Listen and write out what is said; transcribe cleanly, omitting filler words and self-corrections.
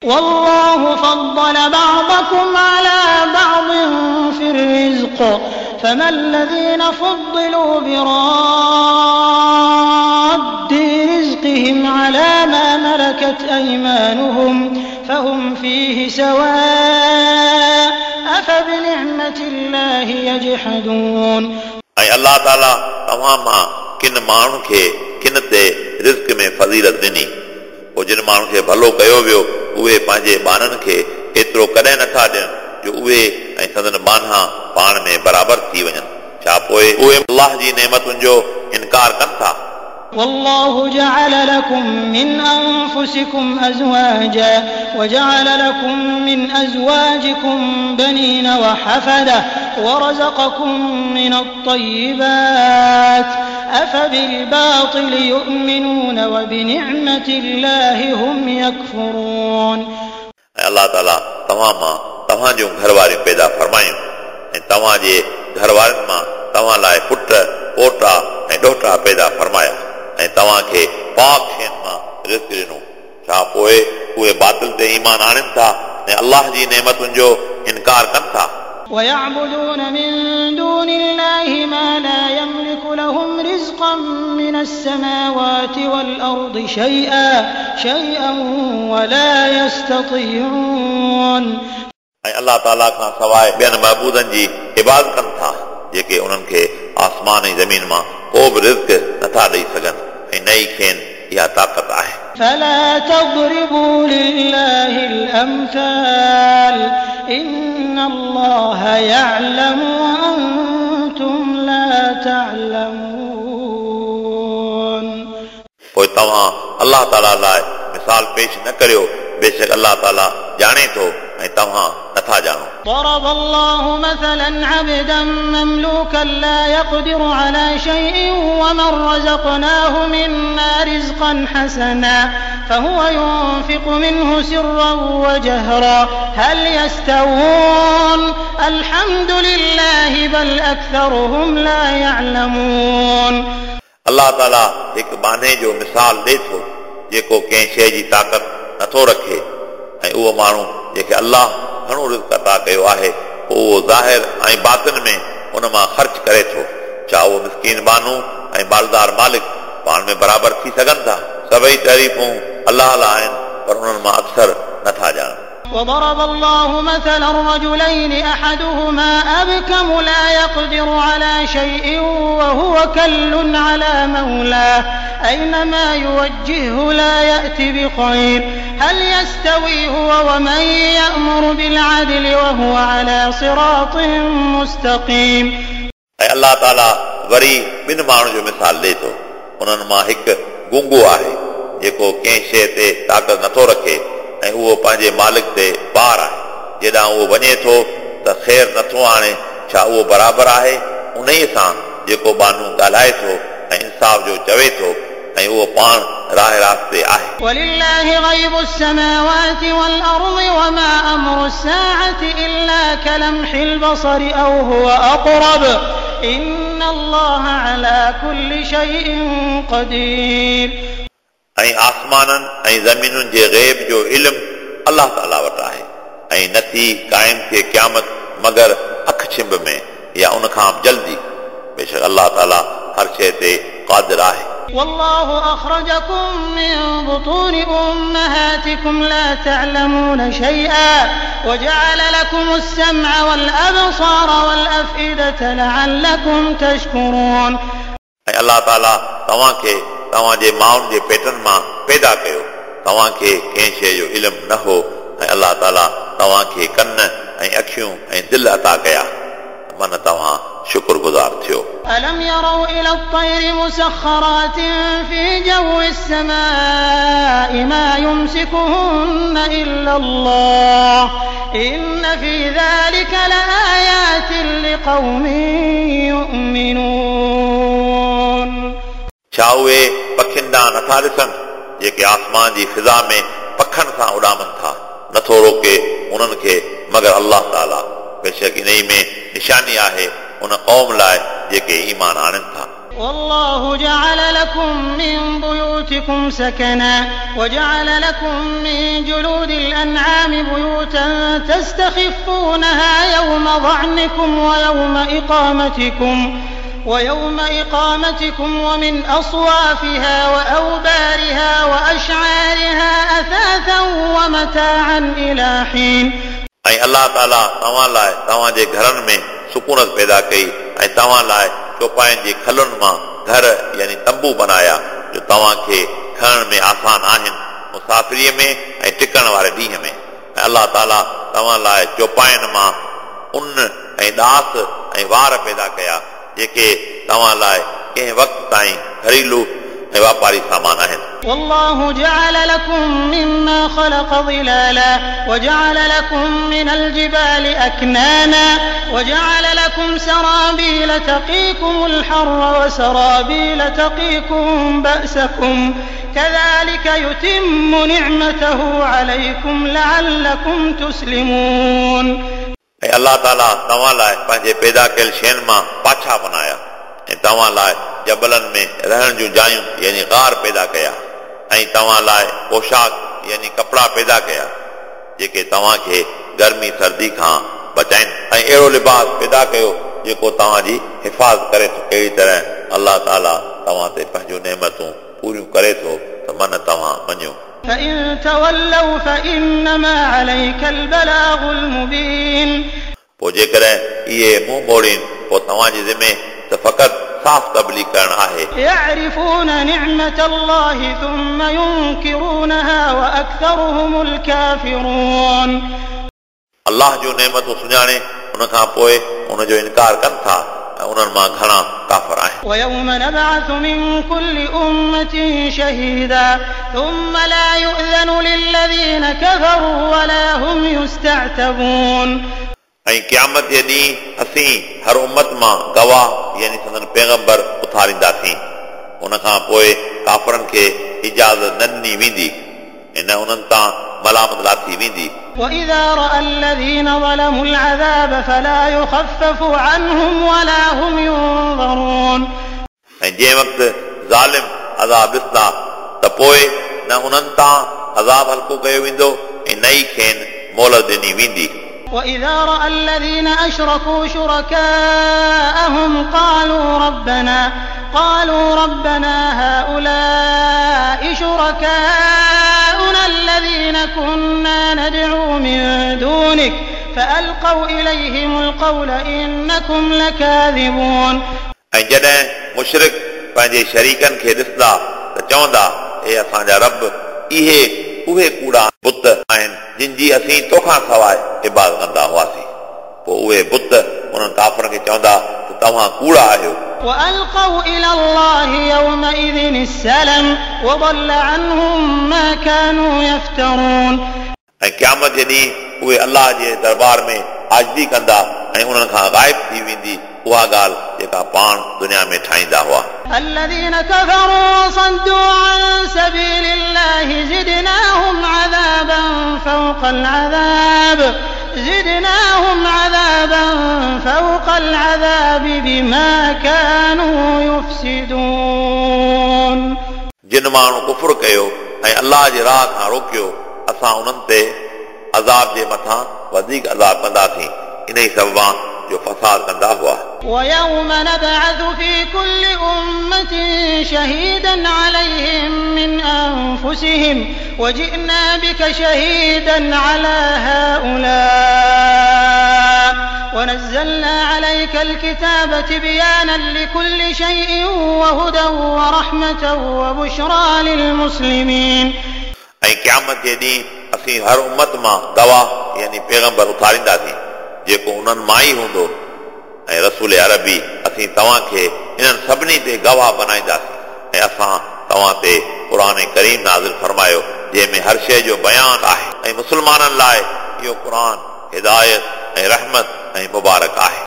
والله فضل بعضكم على بعض في الرزق فما الذين فضلوا براد رزقهم على ما ملكت أيمانهم فهم فيه سواء أفبنعمة الله يجحدون. ऐं अलाह ताला तव्हां मां किन माण्हुनि खे किन ते रिज़्क में फ़ज़ीलत ॾिनी, पोइ जिन माण्हुनि खे भलो कयो वियो उहे पंहिंजे ॿारनि खे एतिरो कॾहिं नथा ॾियनि जो उहे ऐं संदन ॿान्हा पाण में बराबरि थी वञनि। छा पोइ उहे अलाह जी नेमतुनि जो इनकार कनि था? والله جعل لكم من أنفسكم أزواجا وجعل لكم من أزواجكم بنين وحفدة ورزقكم من الطيبات أفبالباطل يؤمنون وبنعمة الله هم يكفرون. ऐं अलाह ताला तव्हां मां तव्हां जूं घरवारियूं पैदा फरमायूं ऐं तव्हांजे घरवारनि मां तव्हां लाइ पुट, पोटा ऐं ॾोहटा पैदा फरमाया ऐं तव्हांखे पाक शयुनि मां रिज़्क ॾिनो। छा पोइ उहे बातिल ते ईमान आणनि था ऐं अलाह जी नेमतुनि जो इनकार कनि था? ويعبدون من دون الله ما لا يملك لهم رزقا من السماوات والأرض شيئا ولا يستطيعون. ऐं अलाह ताला खां सवाइ ॿियनि महबूदनि जी इबादत कनि था जेके उन्हनि खे आसमान ऐं ज़मीन मां को बि रिज़्क नथा ॾेई सघनि ऐं न ई खेनि इहा ताक़त आहे। فلا تضربوا لله الأمثال إن الله يعلم وأنتم لا تعلمون. पोइ तव्हां अलाह ताला लाइ मिसाल पेश न करियो, बेशक अलाह ताला ॼाणे थो ऐं तव्हां नथा ॼाणो। ضرب الله مثلا عبدا مملوكا لا يقدر على شيء ومن رزقناه منا رزقا حسنا فهو ينفق منه سرا وجهرا هل يستوون الحمد لله بل أكثرهم لا يعلمون. अलाह ताला हिकु बाने जो मिसाल ॾिए थो जेको कंहिं शइ जी ताक़त नथो रखे ऐं उहो माण्हू जेके अलाह घणो रिज़्क अता कयो आहे पोइ उहो ज़ाहिर ऐं बातिन में उन मां ख़र्च करे थो। छा उहो मिसकीन बानू ऐं मालदार मालिक पाण में बराबरि थी सघनि था? सभई तारीफ़ूं अलाह लाइ आहिनि, पर उन्हनि मां अक्सर नथा ॼाणनि। وضرب الله مثلا رجلين أحدهما أبكم لا يقدر على شيء وهو كل على مولاه أينما يوجهه لا يأتي بخير هل يستوي هو ومن يأمر بالعدل وهو على صراط مستقيم. ऐं अलाह ताला वरी ॿिनि माण्हुनि जो मिसाल ॾिए थो। उन्हनि मां हिकु गूंगो आहे जेको कंहिं शइ ते ताक़त नथो रखे ऐं उहो पंहिंजे मालिक ते बार आहे। जेॾां उहो वञे थो त ख़ैर नथो आणे। छा उहो बराबरि आहे उन सां जेको बानू ॻाल्हाए थो ऐं इंसाफ़ जो चवे थो ऐं उहो पाण राह रास्ते आहे। ولله غيب السماوات والأرض وما أمر الساعة إلا كلمح البصر أو هو أقرب إن الله على كل شيء قدير. ऐं आसमाननि ऐं ज़मीनुनि जे ग़ैब जो इल्मु अलाह ताला वटि आहे ऐं नथी क़ाइमु थिए क़यामत मगर अखि छिंब में या उन खां जल्दी। बेशक अलाह ताला हर शइ ते क़ादिर आहे। والله أخرجكم من بطون أمهاتكم لا تعلمون شيئا وجعل لكم السمع والأبصار والأفئدة لعلكم تشكرون. ऐं अलाह ताला तव्हांखे तव्हांजे माउनि जे पेटनि मां पैदा कयो, तव्हांखे कंहिं शइ जो इल्मु न हो ऐं अलाह ताला तव्हांखे कन ऐं अखियूं ऐं दिलि अता कया, मन तव्हां शुक्रगुज़ार थियो। ألم يروا إلى الطير مسخرات في جو السماء ما يمسكهن إلا الله إن في ذلك لآيات لقوم يؤمنون. छा उहे पखियुनि ॾांहुं नथा ॾिसनि जेके आसमान जी फ़िज़ा में पखनि सां उॾामनि था? नथो रोके उन्हनि खे मगर अलाह ताला। बेशक इन में निशानी आहे उन क़ौम लाइ जेके ईमान आणनि था। والله جعل لكم من بيوتكم سكنا وجعل لكم من جلود الأنعام بيوتا تستخفونها يوم ظعنكم ويوم إقامتكم ومن أصوافها وأوبارها وأشعارها أثاثا ومتاعا إلى حين. ऐं अलाह ताला तव्हां लाइ तव्हांजे घरनि में सुकूनत पैदा कई ऐं तव्हां लाइ चौपाइनि जे खलुनि मां घर यानी तंबू बनाया जो तव्हांखे खणण में आसान आहिनि मुसाफ़िरीअ में ऐं टिकण वारे ॾींहं में। ऐं अलाह ताला तव्हां लाइ चौपाइनि मां उन ऐं ॾास ऐं वार पैदा कया जेके तव्हां लाइ कंहिं वक़्त ताईं घरेलू ऐं वापारी सामान आहिनि। والله جعل لكم مما خلق ظلالا وجعل لكم من الجبال أكنانا وجعل لكم سرابيل تقيكم الحر وسرابيل تقيكم بأسكم كذلك يتم نعمته عليكم لعلكم تسلمون. ऐं अलाह ताला तव्हां लाइ पंहिंजे पैदा कयल शयुनि मां पाछा बनाया ऐं तव्हां लाइ जबलनि में रहण जूं जायूं यानी गार पैदा कया ऐं तव्हां लाइ पोशाक यानी कपिड़ा पैदा कया जेके तव्हांखे गर्मी सर्दी खां बचाइनि ऐं अहिड़ो लिबास पैदा कयो जेको तव्हांजी हिफाज़त करे थो। अहिड़ी तरह अलाह ताला तव्हां ते पंहिंजूं नेमतूं पूरियूं करे थो त मन तव्हां मञो। فإن تولوا فإنما عليك البلاغ المبين. पोइ जेकॾहिं इहे मुंहुं मोड़ीनि पोइ तव्हांजे ज़िमे त फ़क़ति साफ़ तबलीग करणु आहे। يعرفون نعمة الله ثم ينكرونها وأكثرهم الكافرون. अलाह जूं नेमतूं सुञाणे उन खां पोइ उनजो इनकार कनि था ऐं उन्हनि मां घणा काफ़र आहिनि। ويوم نبعث من كل أمة شهيدا ثم لا يؤذن للذين كفروا ولا هم يستعتبون. ऐं क़यामत जे ॾींहुं असीं हर उम्मत मां गवाह यानी संदन पैगंबर उथारींदासीं। उन खां पोइ काफ़रनि खे इजाज़त न ॾिनी वेंदी ऐं न उन्हनि तां मलामत लाथी वेंदी। وإذا رأى الذين ظلموا العذاب فلا يخفف عنهم ولا هم ينظرون. ऐं जंहिं वक़्तु ज़ालिम अज़ाब ॾिसंदा त पोइ न उन्हनि तां अज़ाब हल्को कयो वेंदो ऐं न ई खेनि मोहलत ॾिनी वेंदी। وإذا رأى الذين أشركوا شركاءهم قالوا ربنا هؤلاء شركاؤنا الذين كنا ندعو من دونك فألقوا إليهم القول إنكم لكاذبون. ऐं जॾहिं मुशरिक पंहिंजे शरीकनि खे ॾिसंदा त चवंदा, हे असांजा रब, इहे उहे कूड़ा बुत आहिनि जिन जी असीं तोखां सवाइ इबादत कंदा हुआसीं। पोइ उहे बुत उन्हनि काफ़रनि खे चवंदा त तव्हां कूड़ा आहियो। وألقوا إلى الله يومئذ السلم وضل عنهم ما كانوا يفترون. ऐं क़यामत जे ॾींहुं उहे अलाह जे दरबार में आजिज़ी कंदा ऐं उन्हनि खां ग़ाइब थी वेंदी उहा ॻाल्हि जेका पाण दुनिया में ठाहींदा हुआ। الذين كفروا وصدوا عن سبيل الله زدناهم عذابا فوق العذاب بما كانوا يفسدون. जिन माण्हू कुफुर कयो ऐं अलाह जे राह खां रोकियो असां उन्हनि ते अज़ाब जे मथां वधीक अज़ाब कंदासीं इन ई सबबां जो फसाद कंदा हुआ। ويوم نبعث في كل أمة شهيدا عليهم من أنفسهم وجئنا بك شهيدا على هؤلاء ونزلنا عليك الكتاب تبيانا لكل شيء وهدى ورحمة وبشرى للمسلمين. ऐं क़यामत जे ॾींहुं असीं हर उम्मत मां गवाह यानी पैगंबर उथारींदासीं जेको उन्हनि मां ई हूंदो ऐं रसूल अरबी असीं तव्हांखे इन्हनि सभिनी ते गवाह बनाईंदासीं ऐं असां तव्हां ते क़ुर करीम नाज़िल फरमायो जंहिं में हर शइ जो बयान आहे ऐं मुस्लमाननि लाइ इहो क़ुर हिदायत ऐं रहमत ऐं मुबारक आहे।